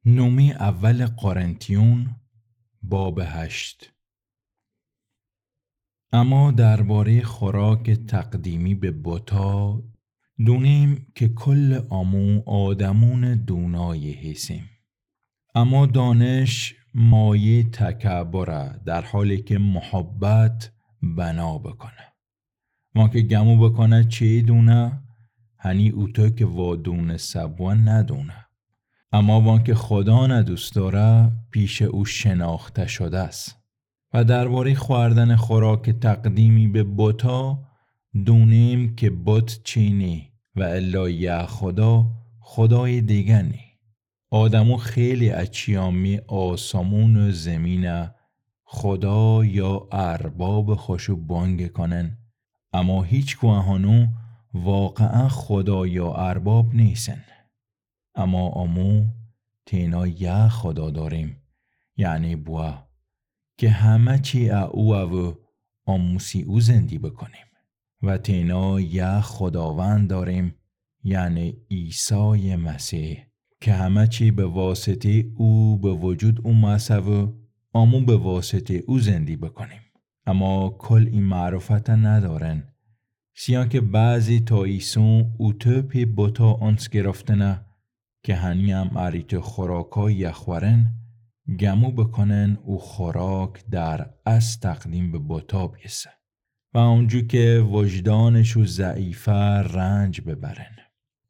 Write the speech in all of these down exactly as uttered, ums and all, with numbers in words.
نومی اول قرنتیون، باب هشت. اما دربارهٔ خوراک تقدیمی به بتا، دونیم که کل آمو آدمون دونایی هیسیم. اما دانش مایه تکبره، در حالی که محبت بنا بکنه. وانکه گمو بکنه چی دونه، هنی اوتو که وادونسه بوه ندونه. اما وانکه خدا نه دوست داره، پیش او شناخته شده‌ست. و دربارهٔ خوردن خوراک تقدیمی به بتا، دونیم که بت چی نی و الا یه خدا، خدای دیگه نی. آدمو خیلی اچیامی آسمون و زمینه خدا یا ارباب خوشو بانگ کنن، اما هیچ کوهانو واقعاً خدا یا ارباب نیسن. اما آمو تینا یه خدا داریم، یعنی بوا، که همه چی ا او و آموسی او زندی بکنیم. و تینا یه خداوند داریم، یعنی عیسی مسیح، که همه چی به واسطهٔ او به وجود اومسه و آمو به واسطهٔ او زندی بکنیم. اما کل ای معرفت ندارن، سیان که بعضی تا ایسون اوتو پی بتا آنس گرفتنه، که هنی هم اریت خوراکا یخورن، گمو بکنن او خوراک در اصل تقدیم به بتا بیسه. و اونجو که وجدانشو ضعیفه رنج ببرن.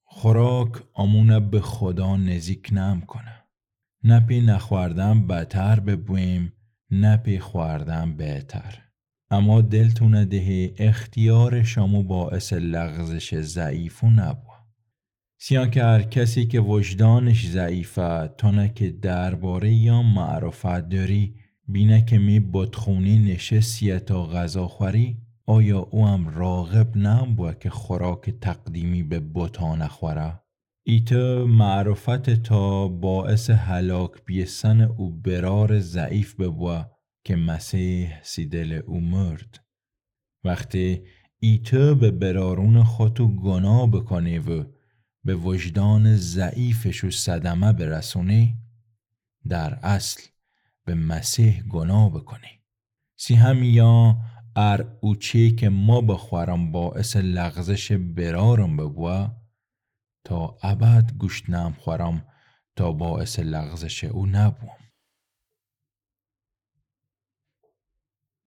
خوراک آمونه به خدا نزیک نم کنه. نه پی نخوردن بدتر ببویم، نه پی خوردن بهتر. اما دلتونه دهی اختیار شامو باعث لغزش ضعیفو نبوه. سیان که هر کسی که وجدانش ضعیفه، تانه که دربارهٔ یا معرفت داری، بینه که می بتخونی نشستیه تا غذا خوری، آیا او هم راغب نبوه که خوراک تقدیمی به بتا نخوره؟ ایتو معرفت تا باعث هلاک بیسن او برار ضعیف ببوه که مسیح سی دل او مرد. وختی ایتو به برارون خوتو گناه بکنی و به وجدان ضعیفشو صدمه برسونی، در اصل به مسیح گناه بکنی. سی همیان ار اوچی که ما بخورم باعث لغزش برارم ببوه، تا ابد گوشت نم خورم تا باعث لغزش او نبوم.